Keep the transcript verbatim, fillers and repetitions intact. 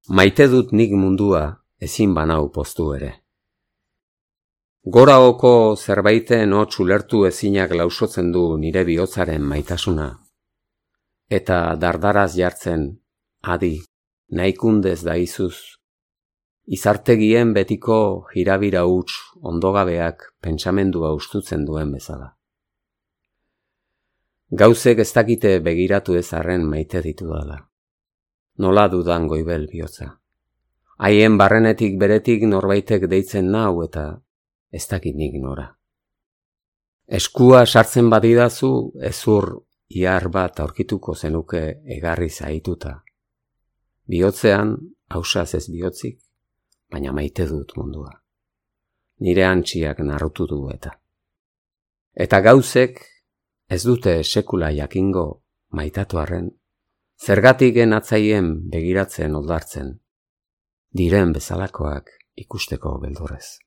Maite dut nik mundua ezin banau poztu ere. Goraoko zerbaiten hots ulertu ezinak lausotzen du nire bihotzaren maitasuna. Eta dardaraz jartzen, adi, nahikundez daizuz, izartegien betiko jirabira huts ondogabeak pentsamendua ustutzen duen bezala. Gauzek ez dakite begiratu ez arren maite ditudala. Nola dudan goibel bihotza. Haien barrenetik beretik norbaitek deitzen nau eta ez dakit nik nora. Eskua sartzen badidazu ezur ihar bat aurkituko zenuke egarri zaituta. Bihotzean, hausaz ez bihotzik, baina maite dut mundua. Nire antxiak narrutu du eta. Eta gauzek ez dute sekula jakingo maitatu arren, zergatik genatzaien begiratzen oldartzen, diren bezalakoak ikusteko beldurrez.